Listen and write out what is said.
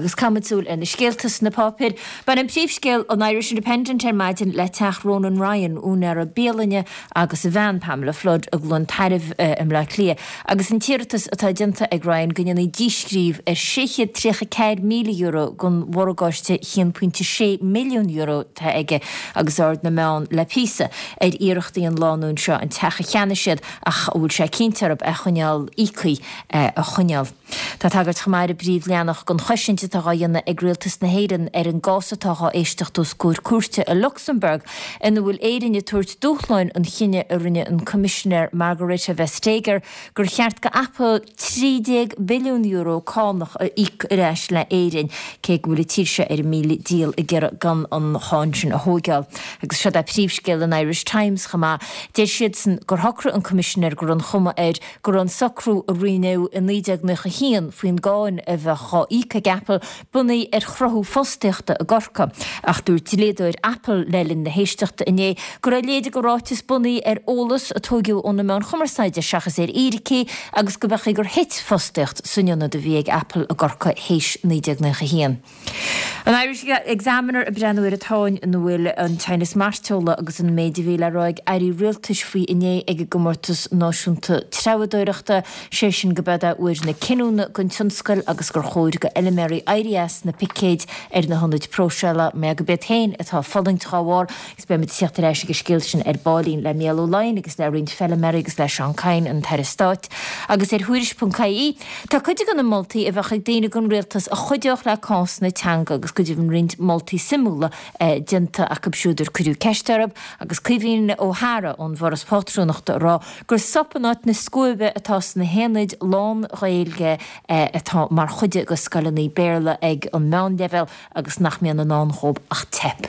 Agus caithfimid súil ar na scéalta sna páipéir. Baineann príomhscéal an Irish Independent ar maidin le teach Ronan Ryan, úinéara bialainne, agus a bhean, Pamela Flood, i gCluain Tairbh i mBleá Cliath, agus an t-iarratas atá déanta ag Ryan go ndéanfaí díscríobh ar €634,000 den mhorgáiste €1.6 milliún atá aige agus aird na meán le píosa ar iarrachtaí an lánúin seo an teach a cheannaigh siad ach a bhfuil sé cinnte orthu é a choinneáil íoctha a choinneáil. Tá tagairt chomh maith ar an bpríomhleathanach don chosaint atá dhá dhéanamh ag Rialtas na hÉireann ar an gcás atá dhá éisteacht os comhair cúirte i Lucsamburg ina bhfuil Éirinn ag tabhairt dúshláin an chinnidh a rinne an Coimisinéir Margrethe Vestager gur cheart go Apple €13 billiún cánach a íoc ar ais le Éirinn cé go bhfuil an tír seo ar a míle dícheall ag iarraidh gan an cháin sin a thóigeáil. Agus seod é príomhscéal an Irish Times chomh maith. Deir siadsan gur shocraigh an Coimisinéir go raibh an chuma air go raibh an socrú a rinneadh i 1991 faoin gcáin a bheadh dhá íoc ag Apple bunaithe ar chruthú fostaíochta i gCorcaigh. Ach dúirt dlíodóir Apple le linn na héisteachta inné go raibh a leithéid de ráiteas bunaithe ar eolas a tóigeadh ó na meáin chumarsáide seachas ar fhíricí agus go mb'fhéidir gur thit fostaíocht san ionad a bhí ag Apple i gCorcaigh théis 1991. An Irish Examiner ag breathnú ar an tsáinn ina bhfuil an teannas mairteola agus an méid a bhí le rá ag airí rialtais faoi inné ag an gcomórtas náisiúnta treabhadóireachta, sé sin go b'ead é uair na cinniúna don tionscal agus gur chóir go fheilméaraí éirí as na picéid ar na hionaid próiseála mar go b'iad féin atá ag fulaingt dhá bharr agus beimid ag teacht ar ais ag an scéal sin ar baillín le Mícheál Ó Laighin agus le roinnt feilméaraí agus le Seán Kyne, an tAire Stáit. Agus ar Thuairisc.ie, tá cuid de na moltaí a bheadh ag daoine don rialtas a chuideodh le cás na teanga agus go deimhin roinnt moltaí suimiúla déanta acu siúd ar cuireadh ceist orthu agus Caoimhín Ó hEadhra ón bhForas Pátrúnachta ag rá gur sop in áit na scuaibe atá sna haonaid lán-Ghaeilge atá mar chuid de scoileanna Béarla ag an meánleibhéal agus nach mbíonn i ndán dhóibh ach teip.